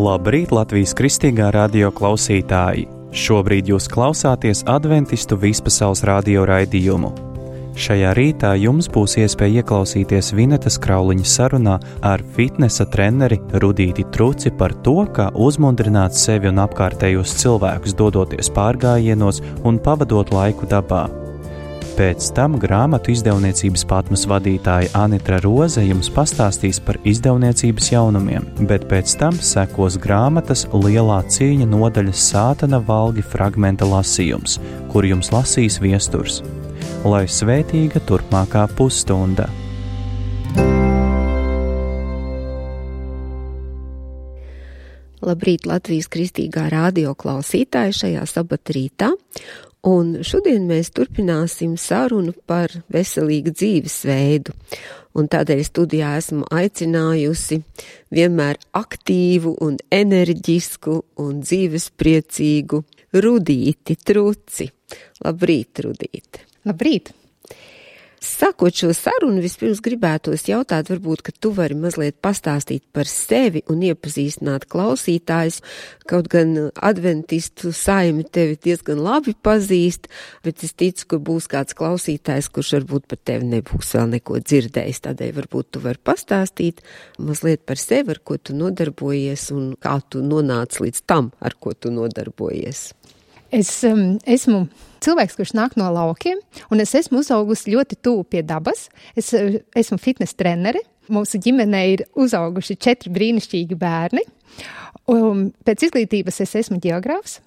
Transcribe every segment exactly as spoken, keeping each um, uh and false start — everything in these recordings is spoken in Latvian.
Labrīt, Latvijas Kristīgā radio klausītāji! Šobrīd jūs klausāties Adventistu vispasaules radio raidījumu. Šajā rītā jums būs iespēja ieklausīties Vinetas Krauliņa sarunā ar fitnesa treneri Rudīti Truci par to, kā uzmundrināt sevi un apkārtējos cilvēkus, dodoties pārgājienos un pavadot laiku dabā. Pēc tam grāmatu izdevniecības Patmas vadītāja Anitra Roze jums pastāstīs par izdevniecības jaunumiem, bet pēc tam sekos grāmatas Lielā cīņa nodaļas Sātana valgi fragmenta lasījums, kur jums lasīs viesturs. Lai svētīga turpmākā pusstunda! Labrīt, Latvijas Kristīgā radio klausītāji šajā sabata rītā. Un šodien mēs turpināsim sarunu par veselīgu dzīvesveidu. Un tādēļ studijā esmu aicinājusi vienmēr aktīvu un enerģisku un dzīvespriecīgu Rudīti Truci. Labrīt, Rudīte! Labrīt! Sākot šo sarunu, vispirms gribētos jautāt, varbūt, ka tu vari mazliet pastāstīt par sevi un iepazīstināt klausītājus, kaut gan adventistu saimi tevi diezgan labi pazīst, bet es ticu, ka būs kāds klausītājs, kurš varbūt par tevi nebūs vēl neko dzirdējis, tādēļ varbūt tu vari pastāstīt mazliet par sevi, ar ko tu nodarbojies un kā tu nonāc līdz tam, ar ko tu nodarbojies. Es um, esmu cilvēks, kurš nāk no laukiem, un es esmu uzaugusi ļoti tuvu pie dabas. Es esmu fitnes trenere. Mūsu ģimenē ir uzauguši četri brīnišķīgi bērni. Un pēc izglītības es esmu ģeogrāfs,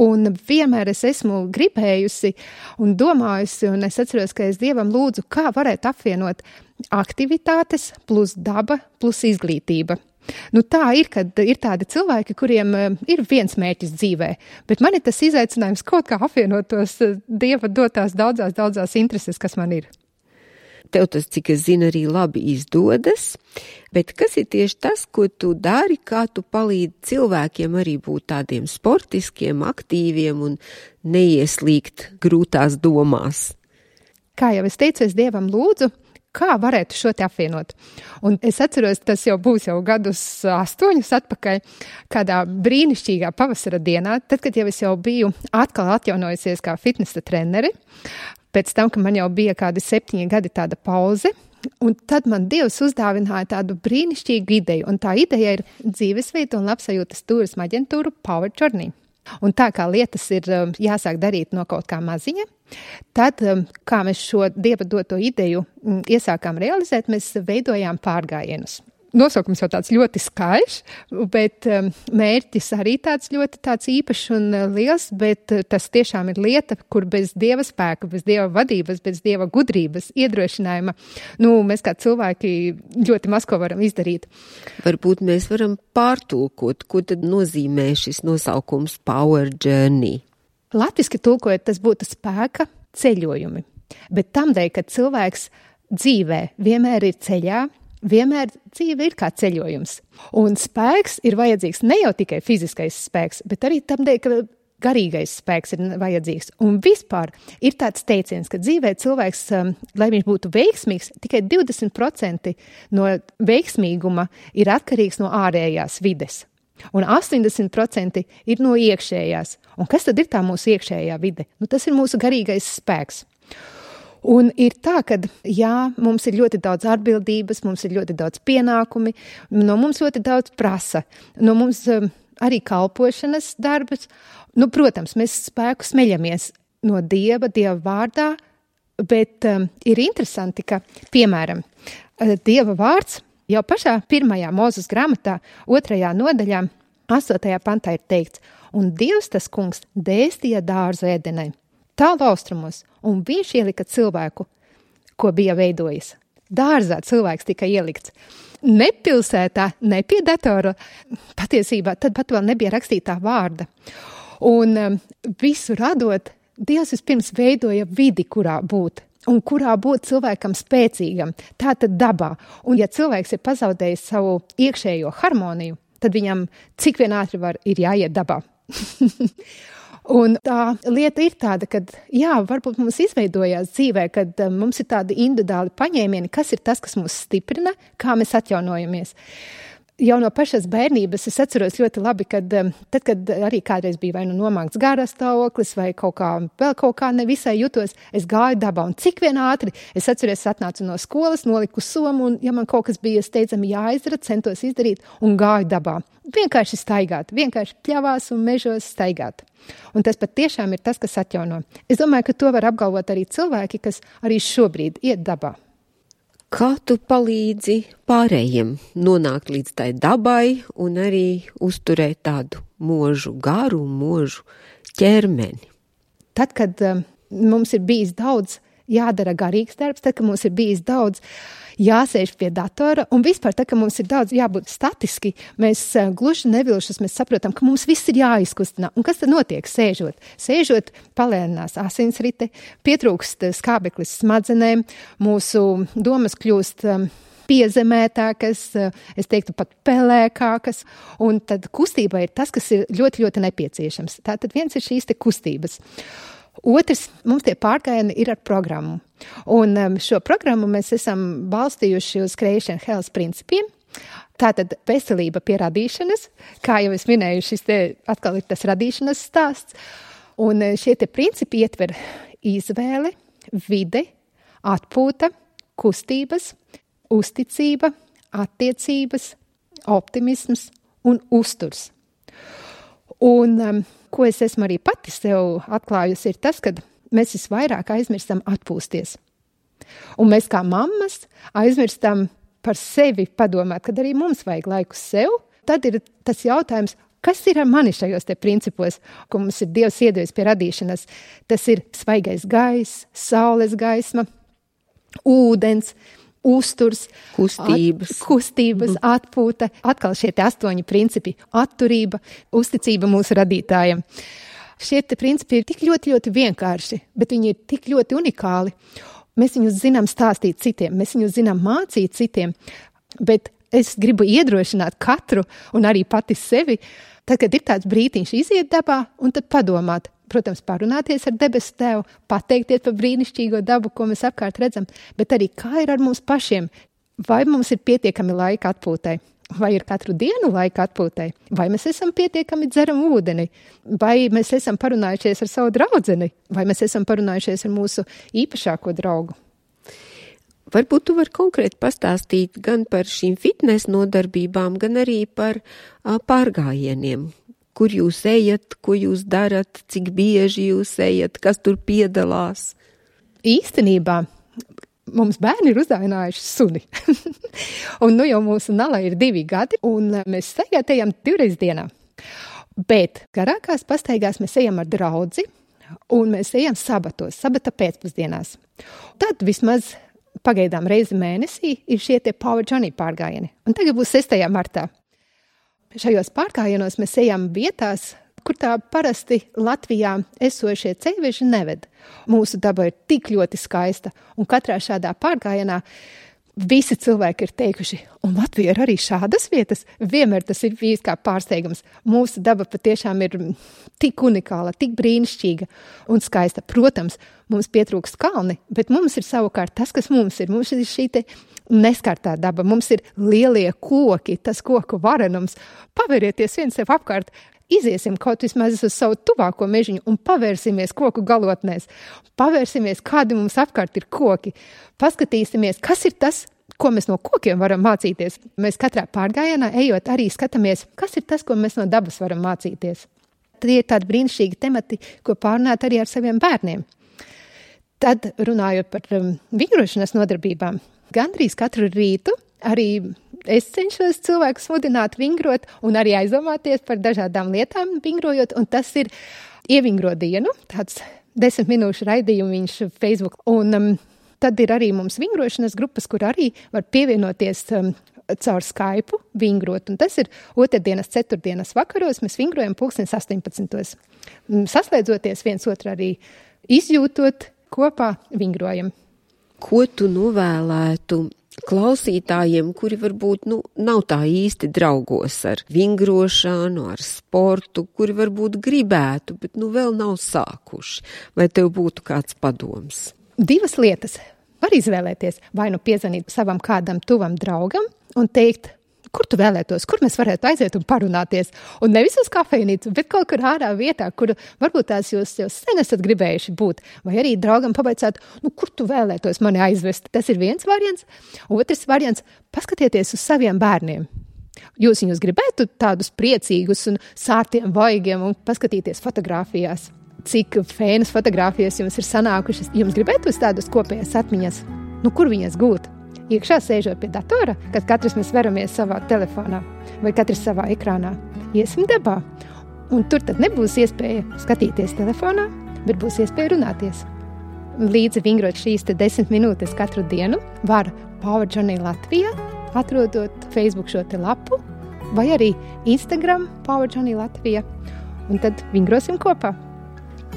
un vienmēr es esmu gribējusi un domājusi, un es atceros, ka es Dievam lūdzu, kā varētu apvienot aktivitātes plus daba plus izglītība. Nu tā ir, kad ir tādi cilvēki, kuriem ir viens mērķis dzīvē, bet man ir tas izaicinājums kaut kā apvienot tos Dieva dotās daudzās, daudzās intereses, kas man ir. Tev tas, cik es zinu, arī labi izdodas, bet kas ir tieši tas, ko tu dari, kā tu palīdzi cilvēkiem arī būt tādiem sportiskiem, aktīviem un neieslīgt grūtās domās? Kā jau es teicu, es Dievam lūdzu, kā varētu šo te apvienot. Un es atceros, tas jau būs jau gadus astoņus atpakaļ, kādā brīnišķīgā pavasara dienā, tad, kad jau es jau biju atkal atjaunojusies kā fitnesa treneri, pēc tam, ka man jau bija kādi septiņi gadi tāda pauze, un tad man Dievs uzdāvināja tādu brīnišķīgu ideju, un tā ideja ir dzīvesveida un labsajūtas turisma aģentūra Power Journey. Un tā kā lietas ir jāsāk darīt no kaut kā maziņa, tad, kā mēs šo Dieva doto ideju iesākām realizēt, mēs veidojām pārgājienus. Nosaukums jau tāds ļoti skaļš, bet mērķis arī tāds ļoti tāds īpašs un liels, bet tas tiešām ir lieta, kur bez Dieva spēka, bez Dieva vadības, bez Dieva gudrības, iedrošinājuma, nu, mēs kā cilvēki ļoti maz ko varam izdarīt. Varbūt mēs varam pārtulkot, ko tad nozīmē šis nosaukums Power Journey. Latviski tulkojot, tas būtu spēka ceļojumi, bet tamdēļ, ka cilvēks dzīvē vienmēr ir ceļā, vienmēr dzīve ir kā ceļojums. Un spēks ir vajadzīgs ne jau tikai fiziskais spēks, bet arī tamdēļ, ka garīgais spēks ir vajadzīgs. Un vispār ir tāds teiciens, ka dzīvē cilvēks, lai viņš būtu veiksmīgs, tikai divdesmit procenti no veiksmīguma ir atkarīgs no ārējās vides. Un astoņdesmit procenti ir no iekšējās. Un kas tad ir tā mūsu iekšējā vide? Nu, tas ir mūsu garīgais spēks. Un ir tā, ka jā, mums ir ļoti daudz atbildības, mums ir ļoti daudz pienākumi, no mums ļoti daudz prasa, no mums um, arī kalpošanas darbs. Nu, protams, mēs spēku smeļamies no Dieva, Dieva vārdā, bet um, ir interesanti, ka, piemēram, Dieva vārds jau pašā pirmajā Mūzes grāmatā, otrajā nodaļā, astotajā pantā ir teikts, un Dievs tas kungs dēstīja dārzu Edenai, tālu austrumos, un viņš ielika cilvēku, ko bija veidojis. Dārzā cilvēks tika ielikts. Ne pilsētā, ne pie datora, patiesībā tad pat vēl nebija rakstītā vārda. Un um, visu radot, Dievs vispirms veidoja vidi, kurā būt. Un kurā būt cilvēkam spēcīgam, tā tad dabā. Un ja cilvēks ir pazaudējis savu iekšējo harmoniju, tad viņam cik vien ātri var ir jāiet dabā. Un tā lieta ir tāda, ka jā, varbūt mums izveidojās dzīvē, kad mums ir tādi individuāli paņēmieni, kas ir tas, kas mūs stiprina, kā mēs atjaunojamies. Jau no pašas bērnības es atceros ļoti labi, kad tad, kad arī kādreiz bija vai nu nomākts garā stāvoklis vai kaut kā, vēl kaut kā nevisai jutos, es gāju dabā un cik vien ātri. Es atceros, es atnācu no skolas, noliku somu un, ja man kaut kas bija steidzami jāizdara, centos izdarīt un gāju dabā. Vienkārši staigāt, vienkārši pļavās un mežos staigāt. Un tas pat tiešām ir tas, kas atjauno. Es domāju, ka to var apgalvot arī cilvēki, kas arī šobrīd iet dabā. Kā tu palīdzi pārējiem nonākt līdz tai dabai un arī uzturēt tādu mūžu garu, mūžu ķermeni? Tad, kad um, mums ir bijis daudz jādara garīgs darbs, tad, kad mums ir bijis daudz jāsēž pie datora un vispār, tad, kad mums ir daudz jābūt statiski, mēs uh, gluži nevilšas, mēs saprotam, ka mums viss ir jāizkustinā. Un kas tad notiek sēžot? Sēžot palēninās asinsrite, pietrūkst skābeklis smadzenēm, mūsu domas kļūst um, piezemētākas, es teiktu pat pelēkākas, un tad kustība ir tas, kas ir ļoti, ļoti nepieciešams. Tātad viens ir šīs te kustības. Otrs, mums tie pārgājieni ir ar programmu. Un um, šo programmu mēs esam balstījuši uz Creation Health principiem. Tātad veselība pie radīšanas, kā jau es minēju, šis te atkal ir tas radīšanas stāsts. Un šie te principi ietver izvēle, vide, atpūta, kustības, uzticība, attiecības, optimisms un uzturs. Un um, ko es esmu arī pati sev atklājusi, ir tas, ka mēs visvairāk aizmirstam atpūsties. Un mēs kā mammas aizmirstam par sevi padomāt, kad arī mums vajag laiku sev. Tad ir tas jautājums, kas ir ar mani šajos te principos, ko mums ir Dievs iedevis pie radīšanas. Tas ir svaigais gaiss, saules gaisma, ūdens, uzturs, kustības, at, kustības mm. atpūta. Atkal šie te astoņi principi - atturība, uzticība mūsu radītājiem. Šie te principi ir tik ļoti, ļoti vienkārši, bet viņi ir tik ļoti unikāli. Mēs viņus zinām stāstīt citiem, mēs viņus zinām mācīt citiem, bet es gribu iedrošināt katru un arī pati sevi, tad, kad ir tāds brītiņš iziet dabā un tad padomāt, protams, parunāties ar debesu Tēvu, pateikties par brīnišķīgo dabu, ko mēs apkārt redzam, bet arī kā ir ar mums pašiem. Vai mums ir pietiekami laika atpūtai? Vai ir katru dienu laika atpūtai? Vai mēs esam pietiekami dzeram ūdeni? Vai mēs esam parunājušies ar savu draudzeni? Vai mēs esam parunājušies ar mūsu īpašāko draugu? Varbūt tu vari konkrēti pastāstīt gan par šīm fitnes nodarbībām, gan arī par a, pārgājieniem. Kur jūs ejat, ko jūs darat, cik bieži jūs ejat, kas tur piedalās? Īstenībā mums bērni ir uzdāvinājuši suni. Un nu jau mūsu Nala ir divi gadi, un mēs staigāt ejam divreiz dienā. Bet garākās pastaigās mēs ejam ar draudzi, un mēs ejam sabatos, sabata pēcpusdienās. Tad vismaz pagaidām reizi mēnesī ir šie tie Power Journey pārgājieni. Un tagad būs sestajā martā. Šajos pārgājienos mēs ejam vietās, kur tā parasti Latvijā esošie ceļveži neved. Mūsu daba ir tik ļoti skaista, un katrā šādā pārgājienā visi cilvēki ir teikuši, un Latvija ir arī šādas vietas. Vienmēr tas ir bijis kā pārsteigums. Mūsu daba patiešām ir tik unikāla, tik brīnišķīga un skaista. Protams, mums pietrūkst kalni, bet mums ir savukārt tas, kas mums ir. Mums ir šī te neskartā daba, mums ir lielie koki, tas koku varenums. Paverieties viens sev apkārt, iziesim kaut vismaz uz savu tuvāko mežiņu un pavērsimies koku galotnēs. Pavērsimies, kādi mums apkārt ir koki. Paskatīsimies, kas ir tas, ko mēs no kokiem varam mācīties. Mēs katrā pārgājienā ejot arī skatāmies, kas ir tas, ko mēs no dabas varam mācīties. Tie ir tādi brīnišķīgi temati, ko pārunāt arī ar saviem bērniem. Tad runājot par um, vingrošanas nodarbībām, gandrīz katru rītu arī es cenšos cilvēkus mudināt vingrot un arī aizdomāties par dažādām lietām vingrojot, un tas ir ievingro dienu, tāds desmit minūšu raidījumiņš Facebook. Un um, tad ir arī mums vingrošanas grupas, kur arī var pievienoties um, caur Skype vingrot, un tas ir otrdienas, ceturtdienas vakaros, mēs vingrojam pulkstens astoņpadsmitos. Saslēdzoties viens otru arī izjūtot, kopā vingrojam. Ko tu novēlētu klausītājiem, kuri varbūt nu, nav tā īsti draugos ar vingrošanu, ar sportu, kuri varbūt gribētu, bet nu vēl nav sākuši? Vai tev būtu kāds padoms? Divas lietas var izvēlēties. Vai nu piezvanīt savam kādam tuvam draugam un teikt, kur tu vēlētos, kur mēs varētu aiziet un parunāties. Un nevis uz kafejnīcu, bet kaut kur ārā vietā, kur varbūt tās jūs jau sen esat gribējuši būt. Vai arī draugam pabaicāt, nu, kur tu vēlētos mani aizvest. Tas ir viens variants. Otrs variants – paskatieties uz saviem bērniem. Jūs viņus gribētu tādus priecīgus un sārtiem vaigiem un paskatīties fotogrāfijās. Cik fēnas fotogrāfijas jums ir sanākušas, jums gribētu uz tādas kopējas atmiņas? Nu, kur viņas gūt? Iekšā sēžot pie datora, kad katrs mēs veramies savā telefonā vai katrs savā ekrānā. Iesim dabā. Un tur tad nebūs iespēja skatīties telefonā, bet būs iespēja runāties. Līdzi vingrot šīs te desmit minūtes katru dienu var Power Journey Latvijā, atrodot Facebook šo te lapu, vai arī Instagram Power Journey Latvija, un tad vingrosim kopā.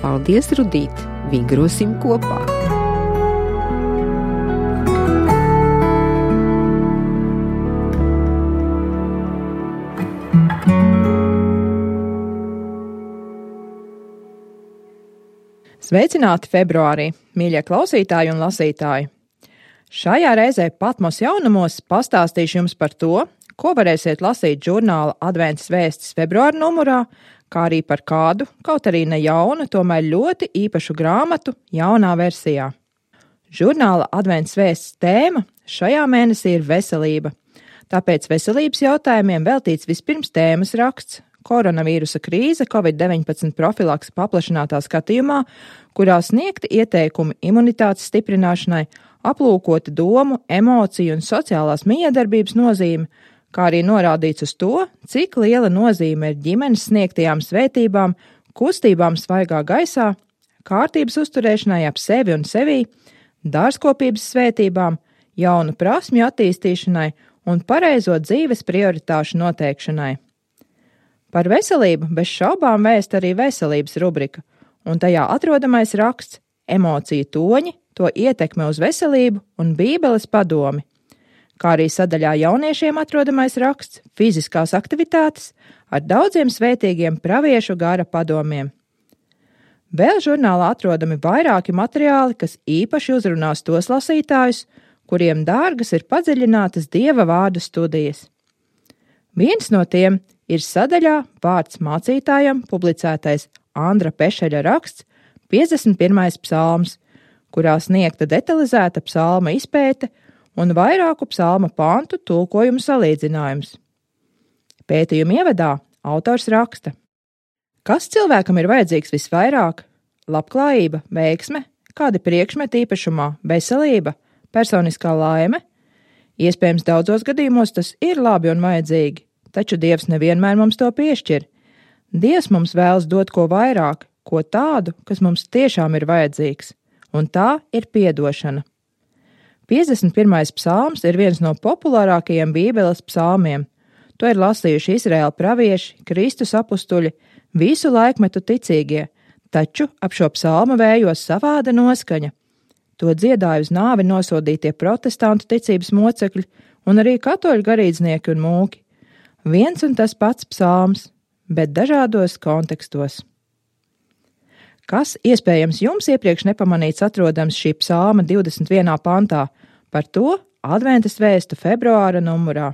Paldies, Rudīt! Vingrosim kopā! Sveicināti februārī, mīļie klausītāji un lasītāji! Šajā reizē Patmos jaunumos pastāstīšu jums par to, ko varēsiet lasīt žurnāla Adventas vēstis februāra numurā, kā arī par kādu, kaut arī ne jaunu, tomēr ļoti īpašu grāmatu jaunā versijā. Žurnāla Adventas vēstis tēma šajā mēnesī ir veselība, tāpēc veselības jautājumiem veltīts vispirms tēmas raksts koronavīrusa krīze covid deviņpadsmit profilakse paplašinātā skatījumā, kurā sniegti ieteikumi imunitātes stiprināšanai, aplūkota domu, emociju un sociālās mijiedarbības nozīme, kā arī norādīts uz to, cik liela nozīme ir ģimenes sniegtajām svētībām, kustībām svaigā gaisā, kārtības uzturēšanai ap sevi un sevī, dārzkopības svētībām, jaunu prasmju attīstīšanai un pareizo dzīves prioritāšu noteikšanai. Par veselību bez šaubām vēst arī veselības rubrika, un tajā atrodamais raksts emociju toņi, to ietekme uz veselību un bībeles padomi, kā arī sadaļā jauniešiem atrodamais raksts fiziskās aktivitātes ar daudziem svētīgiem praviešu gara padomiem. Vēl žurnālā atrodami vairāki materiāli, kas īpaši uzrunās tos lasītājus, kuriem dārgas ir padziļinātas Dieva vārdu studijas. Viens no tiem ir sadaļā vārds mācītājam publicētais Andra Pešeļa raksts piecdesmit pirmais psalms, kurā sniegta detalizēta psalma izpēte un vairāku psalma pantu tulkojumu salīdzinājums. Pētījuma ievadā autors raksta: kas cilvēkam ir vajadzīgs visvairāk? Labklājība, veiksme, kādi priekšmeti īpašumā, veselība, personiskā laime? Iespējams, daudzos gadījumos tas ir labi un vajadzīgi, taču Dievs nevienmēr mums to piešķir. Dievs mums vēlas dot ko vairāk, ko tādu, kas mums tiešām ir vajadzīgs, un tā ir piedošana. piecdesmit pirmais psalms ir viens no populārākajiem Bībeles psalmiem. To ir lasījuši Izraēla pravieši, Kristus apustuļi, visu laikmetu ticīgie, taču ap šo psalmu vējos savāda noskaņa. To dziedāja uz nāvi nosodītie protestantu ticības mocekļi un arī katoļu garīdznieki un mūki. Viens un tas pats psalms, bet dažādos kontekstos. Kas iespējams jums iepriekš nepamanīts atrodams šī psalma divdesmit vienā pantā, par to Adventas vēstu februāra numurā.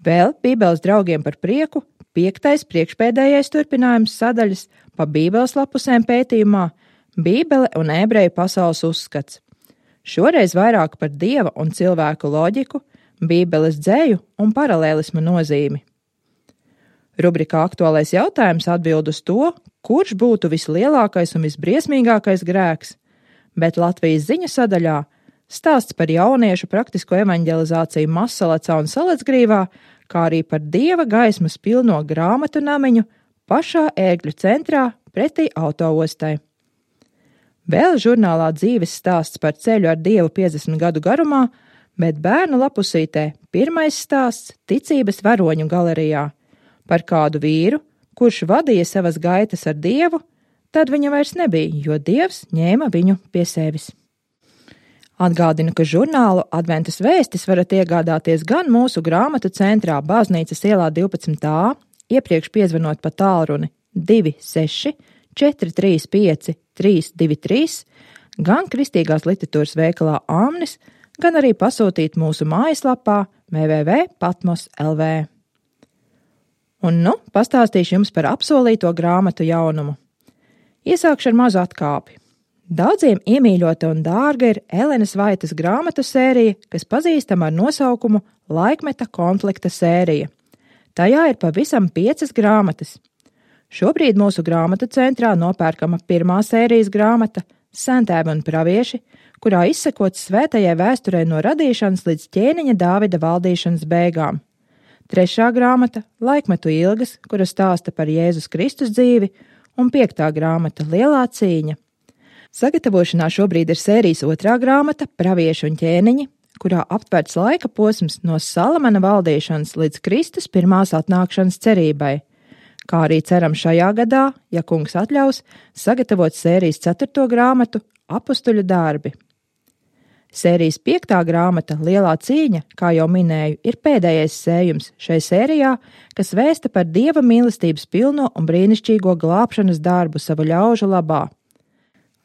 Vēl Bībeles draugiem par prieku piektais priekšpēdējais turpinājums sadaļas pa Bībeles lapusēm pētījumā Bībele un ebreju pasaules uzskats. Šoreiz vairāk par Dieva un cilvēku loģiku, Bībeles dzēju un paralēlisma nozīmi. Rubrikā aktuālais jautājums atbild uz to, kurš būtu vislielākais un visbriesmīgākais grēks, bet Latvijas ziņu sadaļā stāsts par jauniešu praktisko evaņģelizāciju Mazsalacā un Salacgrīvā, kā arī par Dieva gaismas pilno grāmatu namiņu pašā ērgļu centrā pretī autoostai. Vēl žurnālā dzīves stāsts par ceļu ar Dievu piecdesmit gadu garumā, bet bērnu lapusītē pirmais stāsts ticības varoņu galerijā par kādu vīru, kurš vadīja savas gaitas ar Dievu, tad viņa vairs nebija, jo Dievs ņēma viņu pie sevis. Atgādinu, ka žurnālu Adventas vēstis varat iegādāties gan mūsu grāmatu centrā Baznīcas ielā divpadsmit A, iepriekš piezvanot pa tālruni divi seši četri trīs pieci trīs divi trīs, gan kristīgās literatūras veikalā Amnis, gan arī pasūtīt mūsu mājaslapā w w w punkt patmos punkt l v. Un nu pastāstīšu jums par apsolīto grāmatu jaunumu. Iesākšu ar mazu atkāpi. Daudziem iemīļota un dārga ir Elenas Vaitas grāmatu sērija, kas pazīstama ar nosaukumu Laikmeta konflikta sērija. Tajā ir pavisam piecas grāmatas. Šobrīd mūsu grāmatu centrā nopērkama pirmā sērijas grāmata Sentēvi un pravieši, kurā izsekots svētajai vēsturei no radīšanas līdz ķēniņa Dāvida valdīšanas beigām. Trešā grāmata Laikmetu ilgas, kura stāsta par Jēzus Kristus dzīvi, un piektā grāmata Lielā cīņa. Sagatavošanā šobrīd ir sērijas otrā grāmata Pravieši un ķēniņi, kurā aptverts laika posms no Salamana valdīšanas līdz Kristus pirmās atnākšanas cerībai, kā arī ceram šajā gadā, ja kungs atļaus, sagatavot sērijas ceturto grāmatu Apustuļu darbi. Sērijas piektā grāmata Lielā cīņa, kā jau minēju, ir pēdējais sējums šai sērijā, kas vēsta par Dieva mīlestības pilno un brīnišķīgo glābšanas darbu savu ļaužu labā.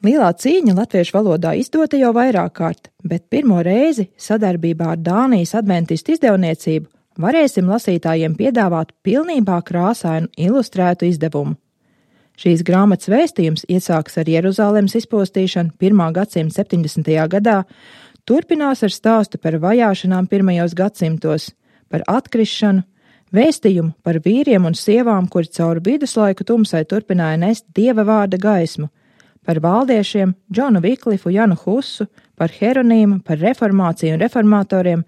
Lielā cīņa latviešu valodā izdota jau vairāk kārt, bet pirmo reizi sadarbībā ar Dānijas adventistu izdevniecību varēsim lasītājiem piedāvāt pilnībā krāsainu ilustrētu izdevumu. Šīs grāmatas vēstījums iesāks ar Jeruzalemes izpostīšanu pirmā gadsimta septiņdesmitajā gadā, turpinās ar stāstu par vajāšanām pirmajos gadsimtos, par atkrišanu, vēstījumu par vīriem un sievām, kuri cauri viduslaiku tumsai turpināja nest Dieva vārda gaismu, par valdiešiem, Džonu Viklifu, Janu Husu, par Heronīmu, par reformāciju un reformatoriem.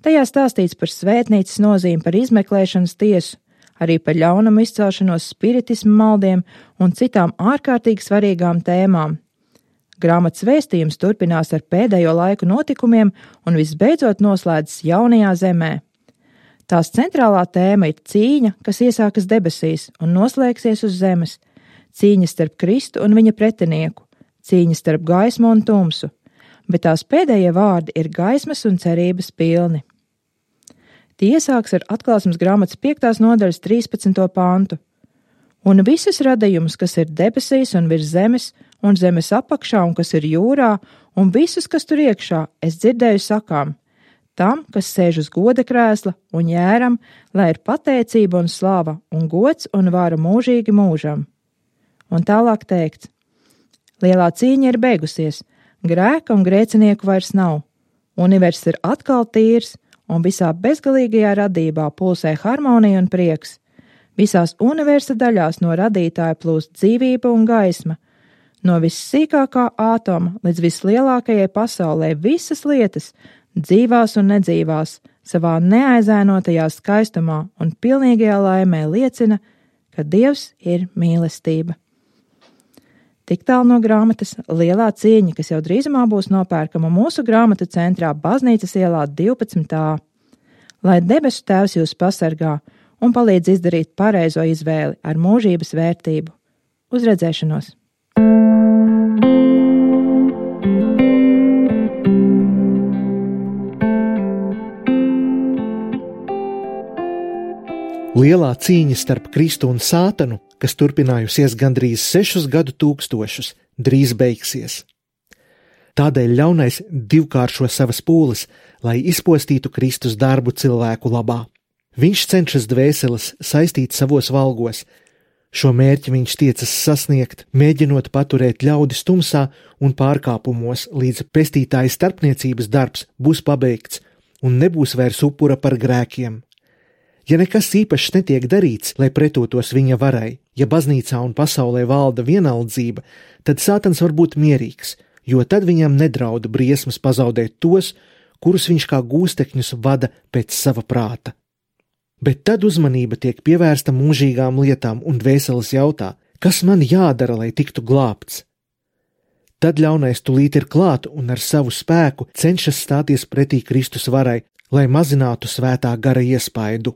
Tajā stāstīts par svētnīcas nozīmi, par izmeklēšanas tiesu, arī par ļaunumu izcelšanos, spiritismu maldiem un citām ārkārtīgi svarīgām tēmām. Grāmatas vēstījums turpinās ar pēdējo laiku notikumiem un visbeidzot noslēdzas jaunajā zemē. Tās centrālā tēma ir cīņa, kas iesākas debesīs un noslēgsies uz zemes, cīņa starp Kristu un viņa pretinieku, cīņa starp gaismu un tumsu, bet tās pēdējie vārdi ir gaismas un cerības pilni. Tie iesāks ar atklāsmes grāmatas piektās nodaļas trīspadsmito pantu. Un visus radījumus, kas ir debesīs un virs zemes, un zemes apakšā un kas ir jūrā, un visus, kas tur iekšā, es dzirdēju sakām, tam, kas sēž uz goda krēsla un jēram, lai ir pateicība un slava, un gods un vara mūžīgi mūžam. Un tālāk teikts, lielā cīņa ir beigusies, grēka un grēcinieku vairs nav, universs ir atkal tīrs, un visā bezgalīgajā radībā pulsē harmonija un prieks. Visās universa daļās no radītāja plūst dzīvība un gaisma. No vissīkākā ātoma līdz vislielākajai pasaulē visas lietas, dzīvās un nedzīvās, savā neaizēnotajā skaistumā un pilnīgajā laimē liecina, ka Dievs ir mīlestība. Tik tālu no grāmatas Lielā cīņa, kas jau drīzumā būs nopērkama mūsu grāmatu centrā Baznīcas ielā divpadsmit A. Lai debesu Tēvs jūs pasargā un palīdz izdarīt pareizo izvēli ar mūžības vērtību. Uz redzēšanos! Lielā cīņa starp Kristu un Sātanu, kas turpinājusies gandrīz sešus gadu tūkstošus, drīz beigsies. Tādēļ ļaunais divkāršo savas pūles, lai izpostītu Kristus darbu cilvēku labā. Viņš cenšas dvēseles saistīt savos valgos. Šo mērķi viņš tiecas sasniegt, mēģinot paturēt ļaudis tumsā un pārkāpumos, līdz pestītāja starpniecības darbs būs pabeigts un nebūs vairs upura par grēkiem. Ja nekas īpašs netiek darīts, lai pretotos viņa varai, ja baznīcā un pasaulē valda vienaldzība, tad Sātans var būt mierīgs, jo tad viņam nedrauda briesmas pazaudēt tos, kurus viņš kā gūstekņus vada pēc sava prāta. Bet tad uzmanība tiek pievērsta mūžīgām lietām un dvēseles jautā, kas man jādara, lai tiktu glābts. Tad ļaunais tulīt ir klāt un ar savu spēku cenšas stāties pretī Kristus varai, lai mazinātu svētā gara iespaidu.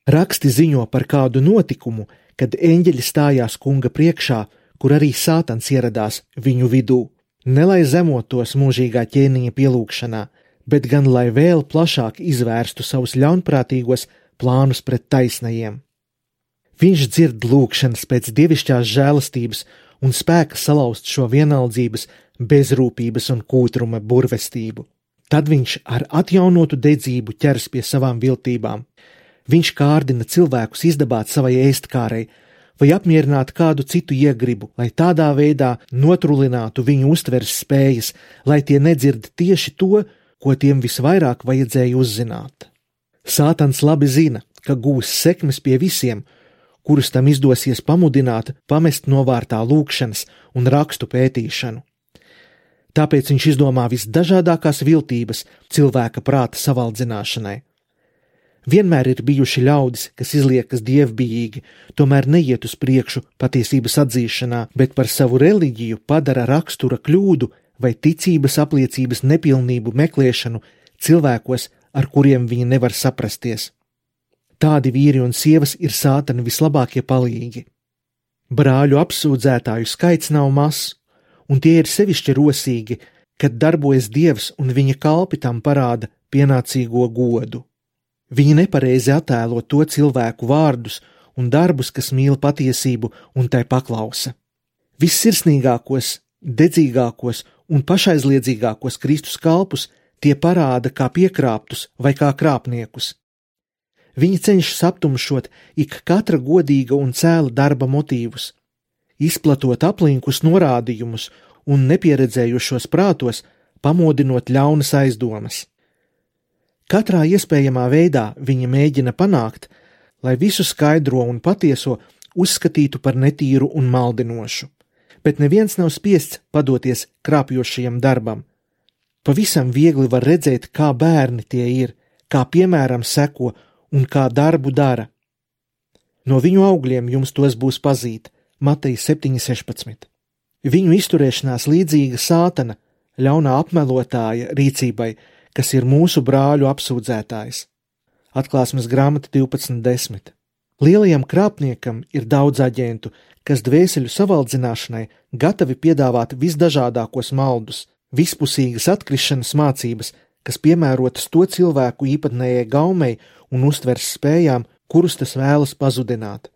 Raksti ziņo par kādu notikumu, kad eņģeļi stājās kunga priekšā, kur arī Sātans ieradās viņu vidū, ne lai zemotos mūžīgā ķēniņa pielūgšanā, bet gan lai vēl plašāk izvērstu savus ļaunprātīgos plānus pret taisnajiem. Viņš dzird lūgšanas pēc dievišķās žēlastības un spēka salauzt šo vienaldzības, bezrūpības un kūtruma burvestību. Tad viņš ar atjaunotu dedzību ķers pie savām viltībām. Viņš kārdina cilvēkus izdabāt savai ēstkārei vai apmierināt kādu citu iegribu, lai tādā veidā notrulinātu viņu uztveres spējas, lai tie nedzird tieši to, ko tiem visvairāk vajadzēja uzzināt. Sātans labi zina, ka gūs sekmes pie visiem, kurus tam izdosies pamudināt, pamest novārtā lūkšanas un rakstu pētīšanu. Tāpēc viņš izdomā visdažādākās viltības cilvēka prāta savaldzināšanai. Vienmēr ir bijuši ļaudis, kas izliekas dievbijīgi, tomēr neiet uz priekšu patiesības atzīšanā, bet par savu reliģiju padara rakstura kļūdu vai ticības apliecības nepilnību meklēšanu cilvēkos, ar kuriem viņi nevar saprasties. Tādi vīri un sievas ir Sātana vislabākie palīgi. Brāļu apsūdzētāju skaits nav mazs, un tie ir sevišķi rosīgi, kad darbojas Dievs un viņa kalpi tam parāda pienācīgo godu. Viņi nepareizi attēlo to cilvēku vārdus un darbus, kas mīl patiesību un tai paklausa. Vissirsnīgākos, dedzīgākos un pašaizliedzīgākos Kristus kalpus tie parāda kā piekrāptus vai kā krāpniekus. Viņi cenšas aptumšot ik katra godīga un cēla darba motīvus, izplatot aplinkus norādījumus un nepieredzējušos prātos, pamodinot ļaunas aizdomas. Katrā iespējamā veidā viņa mēģina panākt, lai visu skaidro un patieso uzskatītu par netīru un maldinošu, bet neviens nav spiests padoties krāpjošajam darbam. Pavisam viegli var redzēt, kā bērni tie ir, kā piemēram seko un kā darbu dara. No viņu augļiem jums tos būs pazīt, Mateja septiņi sešpadsmit. Viņu izturēšanās līdzīga Sātana, ļaunā apmelotāja rīcībai, kas ir mūsu brāļu apsūdzētājs. Atklāsmes grāmata divpadsmit desmit. Lielajam krāpniekam ir daudz aģentu, kas dvēseļu savaldzināšanai gatavi piedāvāt visdažādākos maldus, vispusīgas atkrišanas mācības, kas piemērotas to cilvēku īpatnējai gaumei un uztveres spējām, kurus tas vēlas pazudināt.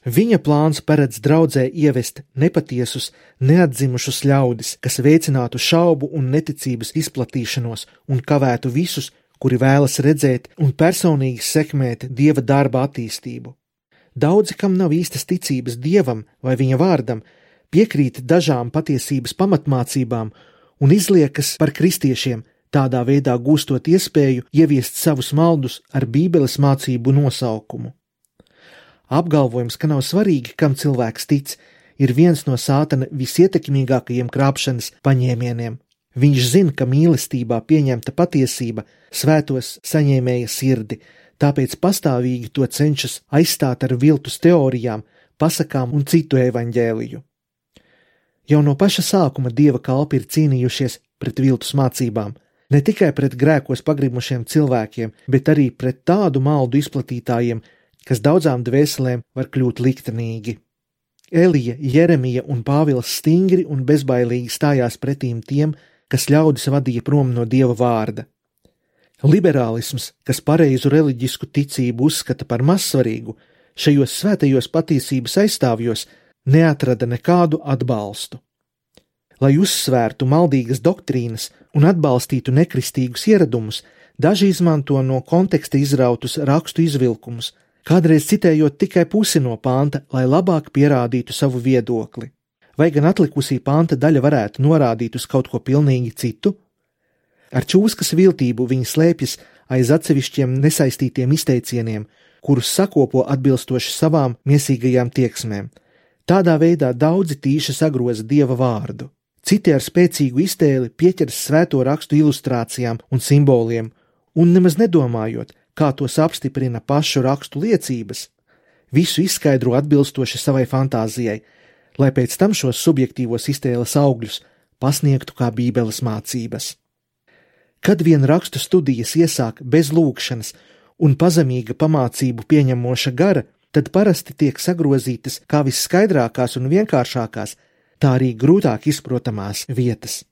Viņa plāns paredz draudzē ievest nepatiesus, neatdzimušus ļaudis, kas veicinātu šaubu un neticības izplatīšanos un kavētu visus, kuri vēlas redzēt un personīgi sekmēt Dieva darba attīstību. Daudzi, kam nav īstas ticības Dievam vai viņa vārdam, piekrīt dažām patiesības pamatmācībām un izliekas par kristiešiem, tādā veidā gūstot iespēju ieviest savus maldus ar Bībeles mācību nosaukumu. Apgalvojums, ka nav svarīgi, kam cilvēks tic, ir viens no Sātana visietekmīgākajiem krāpšanas paņēmieniem. Viņš zina, ka mīlestībā pieņemta patiesība svētos saņēmēja sirdi, tāpēc pastāvīgi to cenšas aizstāt ar viltus teorijām, pasakām un citu evaņģēliju. Jau no paša sākuma Dieva kalpi ir cīnījušies pret viltus mācībām, ne tikai pret grēkos pagrimušiem cilvēkiem, bet arī pret tādu maldu izplatītājiem, kas daudzām dvēselēm var kļūt liktenīgi. Elija, Jeremija un Pāvils stingri un bezbailīgi stājās pretīm tiem, kas ļaudis vadīja prom no Dieva vārda. Liberālisms, kas pareizu reliģisku ticību uzskata par mazsvarīgu, šajos svētajos patiesības aizstāvjos neatrada nekādu atbalstu. Lai uzsvērtu maldīgas doktrīnas un atbalstītu nekristīgus ieradumus, daži izmanto no konteksta izrautus rakstu izvilkumus, kādreiz citējot tikai pusi no panta, lai labāk pierādītu savu viedokli. Vai gan atlikusī panta daļa varētu norādīt uz kaut ko pilnīgi citu? Ar čūskas viltību viņi slēpjas aiz atsevišķiem nesaistītiem izteicieniem, kurus sakopo atbilstoši savām miesīgajām tieksmēm. Tādā veidā daudzi tīši sagroza Dieva vārdu. Citi ar spēcīgu iztēli pieķeras svēto rakstu ilustrācijām un simboliem, un nemaz nedomājot, kā tos apstiprina pašu rakstu liecības, visu izskaidro atbilstoši savai fantāzijai, lai pēc tam šos subjektīvos iztēles augļus pasniegtu kā Bībeles mācības. Kad vien rakstu studijas iesāk bez lūgšanas un pazemīga pamācību pieņemoša gara, tad parasti tiek sagrozītas kā visskaidrākās un vienkāršākās, tā arī grūtāk izprotamās vietas.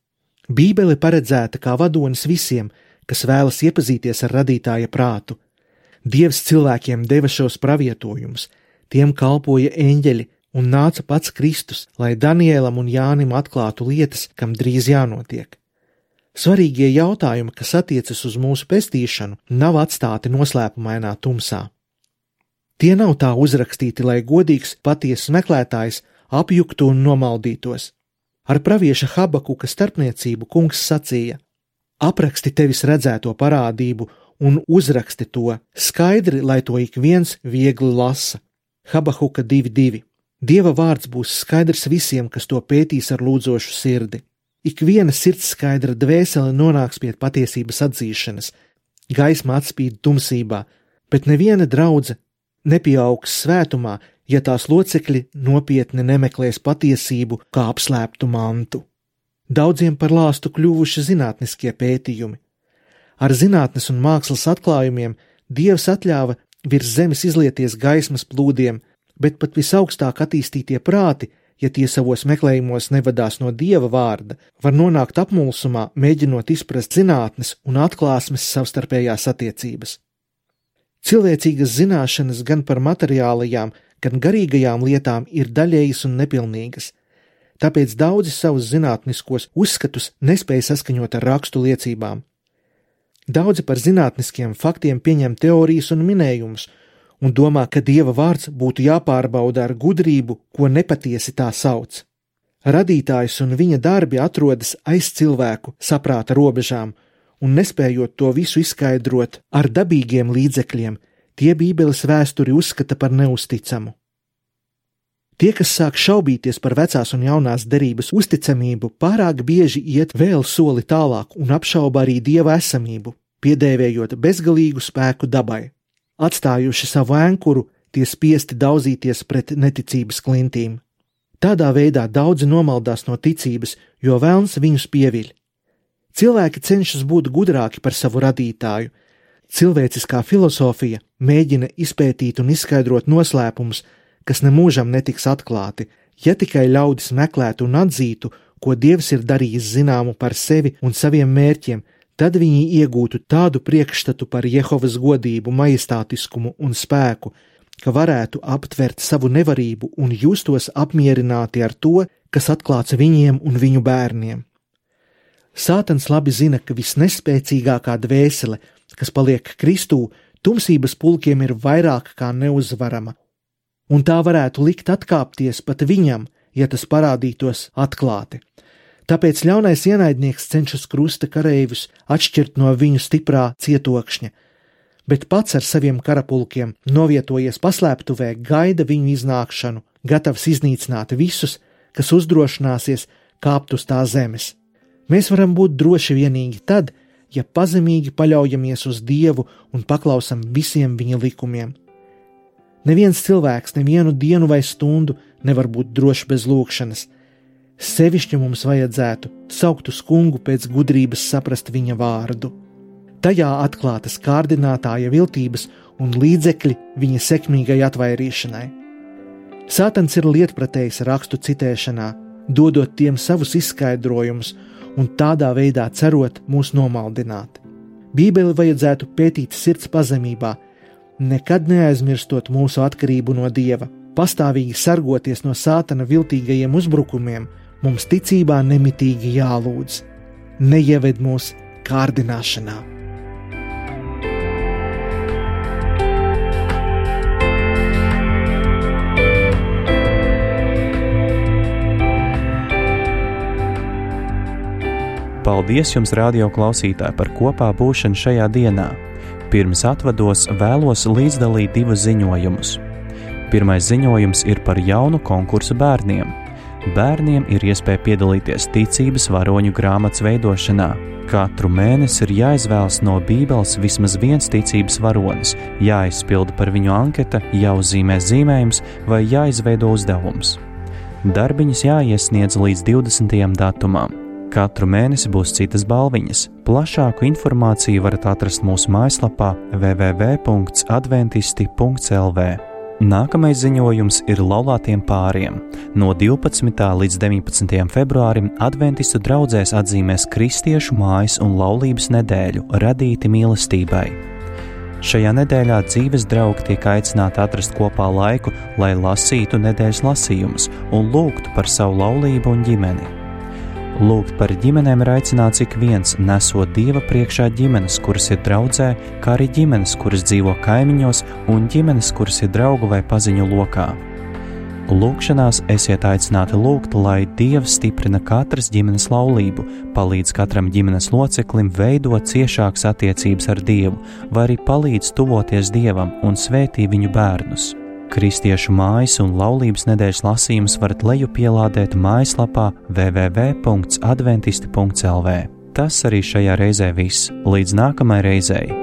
Bībele paredzēta kā vadonis visiem, kas vēlas iepazīties ar radītāja prātu. Dievs cilvēkiem deva šos pravietojumus, tiem kalpoja eņģeļi un nāca pats Kristus, lai Danielam un Jānim atklātu lietas, kam drīz jānotiek. Svarīgie jautājumi, kas attiecas uz mūsu pestīšanu, nav atstāti noslēpumainā tumsā. Tie nav tā uzrakstīti, lai godīgs, patiesas meklētājs apjuktu un nomaldītos. Ar pravieša Habakuka starpniecību kungs sacīja: apraksti tevis redzēto parādību un uzraksti to skaidri, lai to ik viens viegli lasa. Habakuka divi divi. Dieva vārds būs skaidrs visiem, kas to pētīs ar lūdzošu sirdi. Ik viena sirds skaidra dvēsele nonāks pie patiesības atzīšanas. Gaisma atspīd tumsībā, bet neviena draudze nepieaugs svētumā, ja tās locekļi nopietni nemeklēs patiesību kā apslēptu mantu. Daudziem par lāstu kļuvuši zinātniskie pētījumi. Ar zinātnes un mākslas atklājumiem Dievs atļāva virs zemes izlieties gaismas plūdiem, bet pat visaugstāk attīstītie prāti, ja tie savos meklējumos nevadās no Dieva vārda, var nonākt apmulsumā, mēģinot izprast zinātnes un atklāsmes savstarpējās attiecības. Cilvēcīgas zināšanas gan par materiālajām, gan garīgajām lietām ir daļējas un nepilnīgas, tāpēc daudzi savus zinātniskos uzskatus nespēja saskaņot ar rakstu liecībām. Daudzi par zinātniskiem faktiem pieņem teorijas un minējumus un domā, ka Dieva vārds būtu jāpārbauda ar gudrību, ko nepatiesi tā sauc. Radītājs un viņa darbi atrodas aiz cilvēku saprāta robežām, un nespējot to visu izskaidrot ar dabīgiem līdzekļiem, tie Bībeles vēsturi uzskata par neusticamu. Tie, kas sāk šaubīties par vecās un jaunās derības uzticamību, pārāk bieži iet vēl soli tālāk un apšauba arī Dieva esamību, piedēvējot bezgalīgu spēku dabai. Atstājuši savu ēnkuru, tie spiesti daudzīties pret neticības klintīm. Tādā veidā daudzi nomaldās no ticības, jo velns viņus pieviļ. Cilvēki cenšas būt gudrāki par savu radītāju. Cilvēciskā filosofija mēģina izpētīt un izskaidrot noslēpumus, kas nemūžam netiks atklāti, ja tikai ļaudis meklētu un atzītu, ko Dievs ir darījis zināmu par sevi un saviem mērķiem, tad viņi iegūtu tādu priekšstatu par Jehovas godību, majestātiskumu un spēku, ka varētu aptvert savu nevarību un justos apmierināti ar to, kas atklāts viņiem un viņu bērniem. Sātans labi zina, ka visnespēcīgākā dvēsele, kas paliek Kristū, tumsības pulkiem ir vairāk kā neuzvarama, un tā varētu likt atkāpties pat viņam, ja tas parādītos atklāti. Tāpēc ļaunais ienaidnieks cenšas krusta kareivus atšķirt no viņu stiprā cietokšņa, bet pats ar saviem karapulkiem novietojies paslēptuvē gaida viņu iznākšanu, gatavs iznīcināt visus, kas uzdrošināsies kāpt uz tā zemes. Mēs varam būt droši vienīgi tad, ja pazemīgi paļaujamies uz Dievu un paklausam visiem viņa likumiem. Neviens cilvēks nevienu dienu vai stundu nevar būt drošs bez lūgšanas. Sevišķi mums vajadzētu saukt uz kungu pēc gudrības saprast viņa vārdu. Tajā atklātas kārdinātāja viltības un līdzekļi viņa sekmīgai atvairīšanai. Sātans ir lietpratējs rakstu citēšanā, dodot tiem savus izskaidrojumus un tādā veidā cerot mūs nomaldināt. Bībeli vajadzētu pētīt sirds pazemībā, nekad neaizmirstot mūsu atkarību no Dieva, pastāvīgi sargoties no Sātana viltīgajiem uzbrukumiem. Mums ticībā nemitīgi jālūdz, neieved mūs kārdināšanā. Paldies jums, radio klausītāji, par kopā būšanu šajā dienā. Pirms atvados vēlos līdzdalīt divus ziņojumus. Pirmais ziņojums ir par jaunu konkursu bērniem. Bērniem ir iespēja piedalīties ticības varoņu grāmatas veidošanā. Katru mēnesi ir jāizvēlas no Bībeles vismaz viens ticības varonis, jāizpilda par viņu anketa, jāuzzīmē zīmējums vai jāizveido uzdevums. Darbiņas jāiesniedz līdz divdesmitajam datumam. Katru mēnesi būs citas balviņas. Plašāku informāciju varat atrast mūsu mājaslapā w w w punkts adventisti punkts l v. Nākamais ziņojums ir laulātiem pāriem. No divpadsmitā līdz deviņpadsmitajam februārim adventistu draudzēs atzīmēs kristiešu mājas un laulības nedēļu radīti mīlestībai. Šajā nedēļā dzīves draugi tiek aicināti atrast kopā laiku, lai lasītu nedēļas lasījumus un lūgtu par savu laulību un ģimeni. Lūgt par ģimenēm ir aicināts ik viens, nesot Dieva priekšā ģimenes, kuras ir draudzē, kā arī ģimenes, kuras dzīvo kaimiņos, un ģimenes, kuras ir draugu vai paziņu lokā. Lūgšanās esiet aicināti lūgt, lai Dievs stiprina katras ģimenes laulību, palīdz katram ģimenes loceklim veidot ciešākas attiecības ar Dievu, vai arī palīdz tuvoties Dievam un svētī viņu bērnus. Kristiešu mājas un laulības nedēļas lasījumus varat lejupielādēt mājaslapā w w w punkts adventisti punkts l v. Tas arī šajā reizē viss. Līdz nākamai reizei!